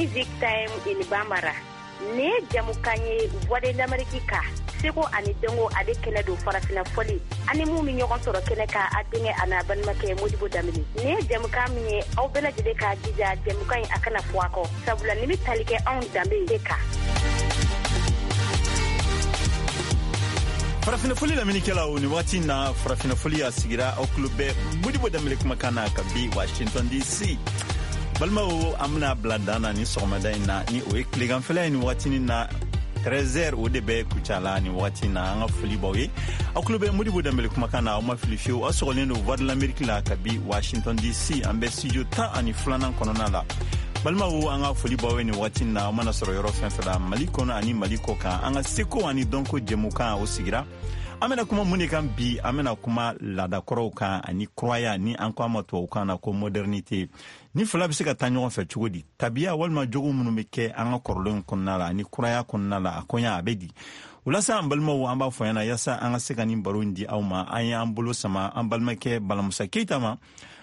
Music Time in Bambara. Nin ye jamukan ye Voix de l'Amérique ka seko ani dɔnko ale kɛnɛ don farafina fɔli ani mun bɛ ɲɔgɔn sɔrɔ kɛnɛ kan a denkɛ a n'a balimakɛ Modibo Danbele. Nin ye jamukan min ye aw bɛɛ lajɛlen k'a jija jamukan in a kana fɔ a kɔ sabula nin bɛ tali kɛ anw danbe de kan. Farafinafoli lamɛnnikɛlaw, nin waati na farafinafoli a sigira, aw tulo bɛ Modibo Danbele kumakan na ka bi Washington DC. Balimaw, an bena bila dan na ni sɔgɔmada in na, ni o ye tileganfɛla ye nin waatinin na, 13h o de bɛ Kucala nin waati na. An ka foli b'aw ye, aw tulo bɛ Modibo Danbele kumakan na. Aw ma fili fiyewu, aw sɔgɔlen don Voix de l'Amérique la ka bi Washington DC, an bɛ studio 12nan kɔnɔna la. Balimaw, an ka foli b'aw ye nin waati na, aw mana sɔrɔ yɔrɔ fɛn fɛn la Mali kɔnɔ ani Mali kɔ kan. An ka seko ani dɔnko jɛmukan o sigira. An bena kuma mun de kan bi? An bena kuma laadakɔrɔw kan ani kuraya, ni an ko a ma tubabukan na ko modernité. Ni fila bɛ se ka taa ɲɔgɔn fɛ cogo di? Tabiya walima jogo minnu bɛ kɛ an ka kɔrɔlenw kɔnɔna la ani kuraya kɔnɔna la, a kɔɲa a bɛ di? O la sa, an balimaw, an b'a fɔ ɲɛna, yaasa an ka se ka nin baro in di aw ma, an y'an bolo sama an balimakɛ Balamusa Keyita ma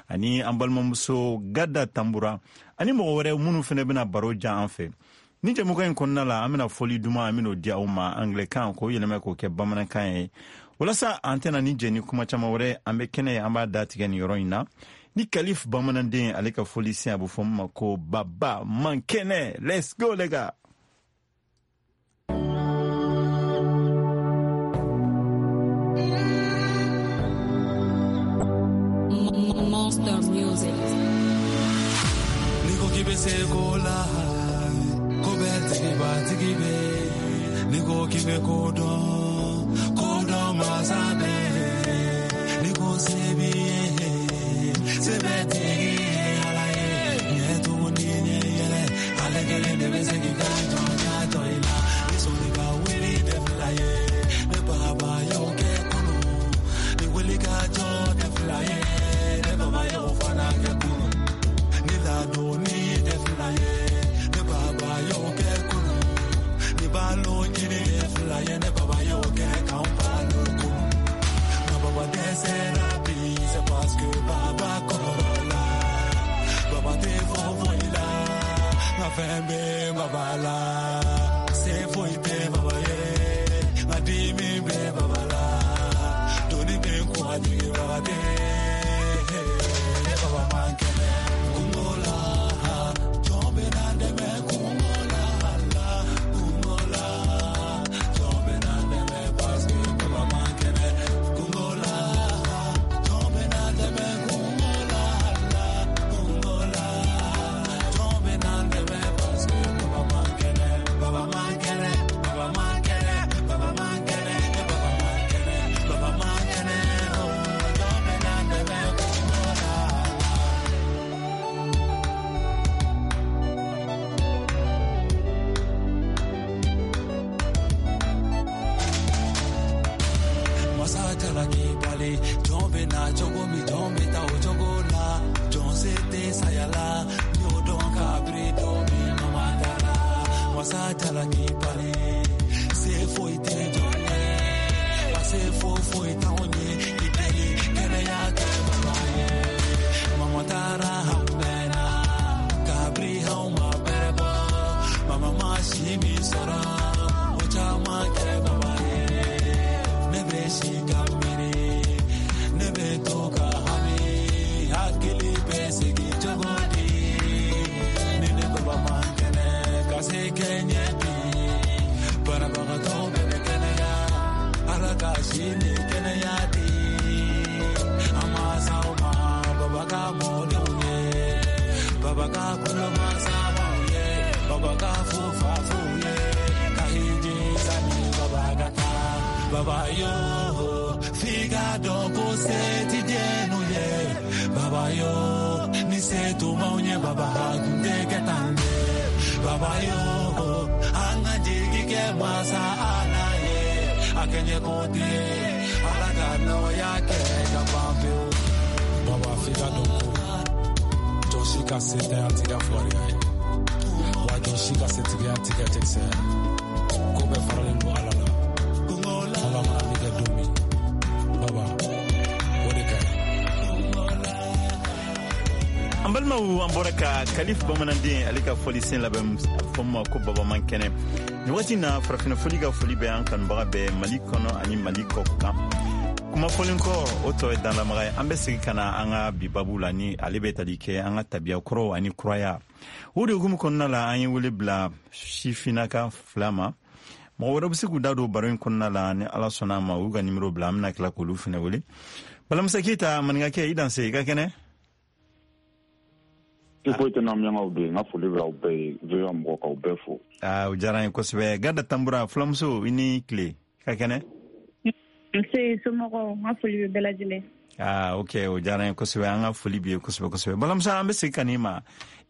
ani an balimamuso Gada Tanbura ani mɔgɔ wɛrɛ minnu fana bɛna baro jan an fɛ ni jɛmukan in kɔnɔna la. An bɛna fɔli duman, an bɛn'o di aw ma anglɛkan, k'o yɛlɛmɛ k'o kɛ bamanankan ye. Walasa an tɛna ni jɛ ni kuma caman wɛrɛ, an bɛ kɛnɛ, an b'a datigɛ nin yɔrɔ in na ni Kalif bamananden ale ka fɔli sen, a bɛ fɔ min ma ko Baba Man Kɛnɛ. Let's go les gars. Monster Music. N'i ko k'i bɛ se ko la, ko bɛɛ tigiba tigi bɛ. N'i ko k'i bɛ ko dɔn, ko dɔn masa bɛ. N'i ko se b'i ye, se bɛɛ tigi ye Ala ye. Ɲɛ tugun ni ɲɛ yɛlɛ, ale kelen de bɛ se k'i ka jɔnya jɔ i la. Ni sɔnni ka wuli tɛ fila ye, ne baba y'o kɛ kunun. Ni wuli ka jɔ tɛ fila ye, ne baba y'o fana kɛ kunun. Ni ladonni tɛ fila ye, ne baba y'o kɛ kunun. Ni balo ɲini tɛ fila ye, ne baba y'o kɛ k'anw balo kunun. Nka baba dɛsɛra bi, c'est parce que baba kɔrɔla. Baba tɛ fɔ foyi la, nka fɛn bɛ baba la. Se foyi tɛ baba ye, nka dimi bɛ baba la. Doni bɛ n kun a jigibaga tɛ. Ne baba man kɛnɛ. Kungo la, jɔn bɛ na dɛmɛ kungo la, la kungo la. Jɔn bɛ na dɛmɛ parce que baba man kɛnɛ. Kungo la, jɔn bɛ na dɛmɛ kungo la, la kungo la. Jɔn bɛ na dɛmɛ parce que baba man kɛnɛ. Baba man kɛnɛ, baba man kɛnɛ, baba man kɛnɛ, baba man kɛnɛ, baba man kɛnɛ. Oh, jɔn bɛ na dɛmɛ kungo la. Masa jalaki bali, jɔn bɛ na cogo min, jɔn bɛ taa o cogo la. Jɔn se tɛ saya la, n y'o dɔn kabiri don min mama dara. Masa jalaki bali, se foyi tɛ jɔn ye, wa se foyi foyi t'anw ye. I deli kɛnɛya kɛ baba ye. Mama taara an mɛnna, kabiri anw ma bɛrɛ bɔ. Mama ma si min sɔrɔ, o caman kɛ baba ye. Ne bɛ si ka miiri, ne bɛ to ka hami, hakili bɛ sigi cogo di? Ni ne baba man kɛnɛ, ka se kɛ ɲɛ bi. Banabagatɔ bɛɛ bɛ kɛnɛya, Ala ka si ni kɛnɛya di. An ma s'aw ma, baba ka mɔdenw ye, baba ka kulomasabaw ye, baba ka fufafuw ye, ka hiji sani baba ka taa. Baba yo, f'i ka dɔn ko se ti jɛnu ye. Baba yo, ni se tun b'anw ye, baba tun tɛ kɛ tan dɛ. Baba yo, an ka jigi kɛ masa Ala ye. A kɛɲɛ ko tɛ, Ala ka nɔgɔya kɛ ka ban pewu. Baba, f'i ka dɔn ko jɔn si ka se tɛ a t'i ka fugariya ye, wa jɔn si ka setigiya t'i kɛ cɛkisɛ ye. Ko bɛɛ faralen don Ala la. Ala mana min kɛ don min, baba, o de ka ɲi. An balima Balimaw, an bɔra ka Kalif Bamananden, ale ka fɔlisen labɛn, fɔ ma ko Baba man kɛnɛ. Nin waati na, Farafinna Foli ka foli bɛ an kanubaga bɛɛ, Mali kɔnɔ ani Mali kɔ kan. Kuma fɔlen kɔ, o tɔ ye danlamaga ye. An bɛ segin ka na an ka bi babu la, ni ale bɛ tali kɛ an ka tabiya kɔrɔw ani kuraya. O de hukumu kɔnɔna la, an ye wele bila sifinnaka fila ma. Mɔgɔ wɛrɛ bɛ se k'u da don baro in kɔnɔna la, ni Ala sɔnna a ma, u y'u ka nimero bila, an bɛna tila k'olu fɛnɛ wele. Balamusa Keyita, maninkakɛ, i danse, i ka kɛnɛ? Ti foyi tɛ n'an de. N ka foli bɛ aw bɛɛ ye, VOA mɔgɔ, k'aw bɛɛ fo. Aa, o diyara n ye kosɛbɛ. Gada Tanbura, fulamuso, i ni tile, i ka kɛnɛ? Nse, somɔgɔw? N ka foli bɛ bɛɛ lajɛlen. Aa, ok, o diyara n ye kosɛbɛ. An ka foli b'i ye kosɛbɛ kosɛbɛ. Balamusa, an bɛ segin ka n'i ma.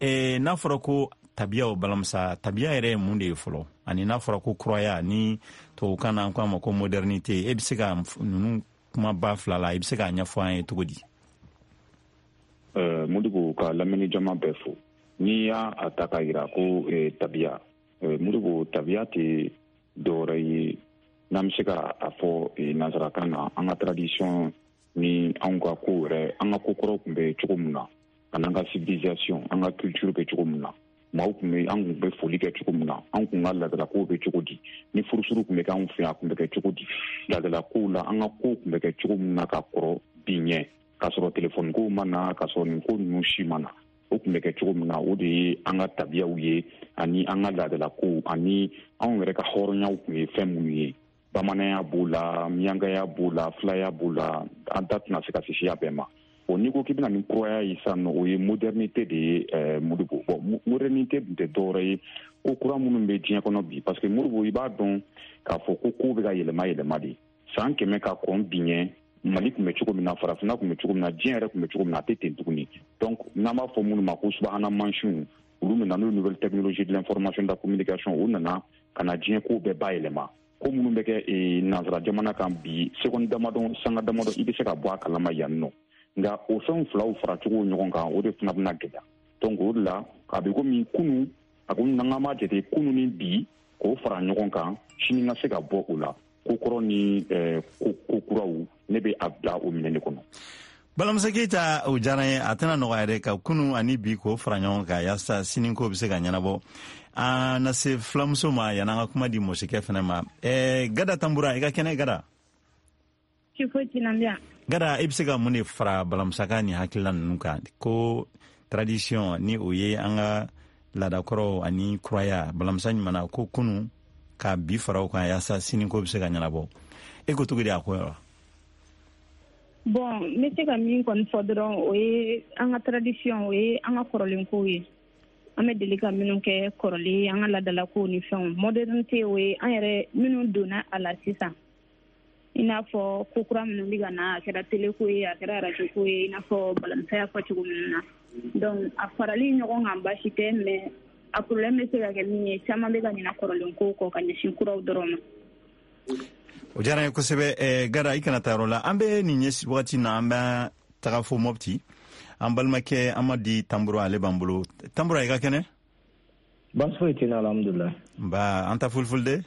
N'a fɔra ko tabiyaw, Balamusa, tabiya yɛrɛ ye mun de ye fɔlɔ? Ani n'a fɔra ko kuraya, ni tubabukan na an ko a ma ko modernité, e bɛ se ka ninnu kumaba fila la, i bɛ se k'a ɲɛfɔ an ye cogo di? Modibo, ka lamɛnni jama bɛɛ fo. N'i y'a a ta k'a yira ko tabiya, Modibo, tabiya tɛ dɔwɛrɛ ye, n'an bɛ se ka a fɔ nansarakan na, an ka tradition ni anw ka kow yɛrɛ, an ka ko kɔrɔw tun bɛ cogo min na, ani an ka civilisation, an ka culture bɛ cogo min na, maaw tun bɛ, an tun bɛ foli kɛ cogo min na, an tun ka laadalakow bɛ cogo di, ni furusuru tun bɛ kɛ anw fɛ yan, a tun bɛ kɛ cogo di, laadalakow la, an ka kow tun bɛ kɛ cogo min na ka kɔrɔ bi ɲɛ, k'a sɔrɔ telefɔni kow ma na, k'a sɔrɔ nin ko ninnu si ma na, o tun bɛ kɛ cogo min na, o de ye an ka tabiyaw ye, ani an ka laadalakow, ani anw yɛrɛ ka hɔrɔnyaw tun ye fɛn minnu ye. Bamananya b'o la, miyankaya b'o la, filaya b'o la, an da tɛna se ka se siya bɛɛ ma. Bon, n'i ko k'i bɛna ni kuraya ye sisan nɔ, o ye modernité de ye, Modibo. Bon, modernité dun tɛ dɔwɛrɛ ye ko kura minnu bɛ diɲɛ kɔnɔ bi, parce que Modibo, i b'a dɔn k'a fɔ ko kow bɛ ka yɛlɛma yɛlɛma de. San 100 ka kɔn bi ɲɛ, Mali tun bɛ cogo min na, Farafinna tun bɛ cogo min na, diɲɛ yɛrɛ tun bɛ cogo min na, a tɛ ten tuguni. Donc n'an b'a fɔ minnu ma ko subahana mansinw, olu nana n'o nouvelle technologie de l'information, de la communication, u nana ka na diɲɛ ko bɛɛ bayɛlɛma. Ko minnu bɛ kɛ nansara jamana kan bi, seconde damadɔ, sanga damadɔ, i bɛ se ka bɔ a kalama yan nɔ. Nka o fɛn filaw faracogo ɲɔgɔn kan, o de fana bɛna gɛlɛya. Donc o de la, a bɛ komi kunu, a ko n'an b'a jate kunu ni bi k'o fara ɲɔgɔn kan, sini ka se ka bɔ o la, ko kɔrɔ ni ko kuraw, ne bɛ a bila o minɛn de kɔnɔ. Balamusa Keyita, o diyara n ye. A tɛna nɔgɔya dɛ, ka kunu ani bi k'o fara ɲɔgɔn kan yaasa sini ko bɛ se ka ɲɛnabɔ. An na se fulamuso ma yan'an ka kuma di mɔsikɛ fɛnɛ ma. Gada Tanbura, i ka kɛnɛ, Gada? Ci foyi t'i la, n bɛ yan. Gada, i bɛ se ka mun de fara Balamusa ka nin hakilila ninnu kan, ko tradition, ni o ye an ka laadakɔrɔw, ani kuraya? Balamusa ɲumanna ko kunu ka bi fara o kan yaasa sini ko bɛ se ka ɲɛnabɔ. E ko cogo di a ko la? Bon, n bɛ se ka min kɔni fɔ dɔrɔn, o ye an ka tradition, o ye an ka kɔrɔlenkow ye, an bɛ deli ka minnu kɛ kɔrɔlen, an ka laadalakow ni fɛnw. Modernité, o ye an yɛrɛ minnu donna a la sisan, i n'a fɔ ko kura minnu bɛ ka na, a kɛra télé ko ye, a kɛra radio ko ye, i n'a fɔ Balamusa y'a fɔ cogo minnu na. Donc a farali ɲɔgɔn kan, baasi tɛ, mais a problème bɛ se ka kɛ min ye, caman bɛ ka ɲina kɔrɔlen kow kɔ ka ɲɛsin kuraw dɔrɔn ma. O diyara n ye kosɛbɛ. Gara, i kana taa yɔrɔ la. An bɛ nin ɲɛ wagati na, an bɛ taga fo Mɔpti. An balimakɛ Amadi Tanbura, ale b'an bolo. Tanbura, i ka kɛnɛ? Baasi foyi tɛ n na, alhamdulilah. Nba, an ta fulfulde.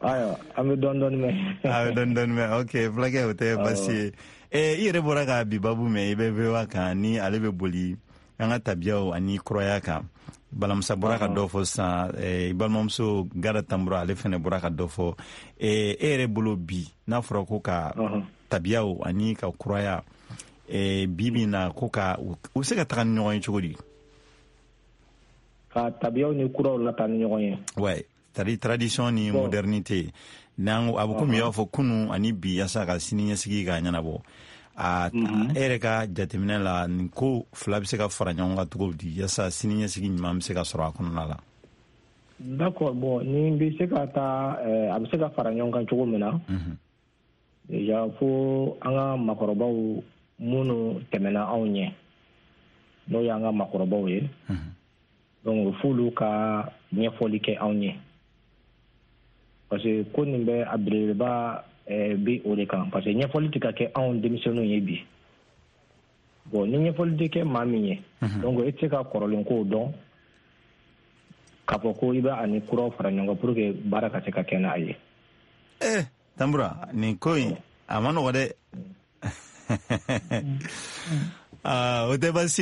Ayiwa, an bɛ dɔɔni dɔɔni mɛn. A bɛ dɔɔni dɔɔni mɛn, ok, fulakɛ, o tɛ baasi ye. I yɛrɛ bɔra ka bi babu mɛn, i bɛ VOA kan, ni ale bɛ boli an ka tabiyaw ani kuraya kan. Balamusa bɔra ka dɔ fɔ sisan, i balimamuso Gara Tanbura, ale fɛnɛ bɔra ka dɔ fɔ. E yɛrɛ bolo bi, n'a fɔra ko ka tabiyaw ani ka kuraya, bi bi na, ko ka u bɛ se ka taga ni ɲɔgɔn ye cogo di? Ka tabiyaw ni kuraw lataa ni ɲɔgɔn ye? Ouais, c'est-à-dire tradition ni modernité. N'an a bɛ komi i b'a fɔ kunu ani bi, yaasa ka sini ɲɛsigi ka ɲɛnabɔ. A e yɛrɛ ka jateminɛ la, nin ko fila bɛ se ka fara ɲɔgɔn kan cogo di, yaasa sini ɲɛsigi ɲuman bɛ se ka sɔrɔ a kɔnɔna la? D'accord, bon, ni bɛ se ka taa, a bɛ se ka fara ɲɔgɔn kan cogo min na, déjà fo an ka makɔrɔbaw minnu tɛmɛna anw ɲɛ, n'o y'an ka makɔrɔbaw ye, donc f'olu ka ɲɛfɔli kɛ anw ye, parce que ko nin bɛ a belebeleba bi o de kan, parce que ɲɛfɔli tɛ ka kɛ anw denmisɛnninw ye bi. Bon, ni ɲɛfɔli tɛ kɛ maa min ye, donc e tɛ se ka kɔrɔlen kow dɔn k'a fɔ ko i bɛ ani kuraw fara ɲɔgɔn kan pour que baara ka se ka kɛ n'a ye. Eh, Tambura, nin ko in a ma nɔgɔ dɛ. Ah, o tɛ baasi ye.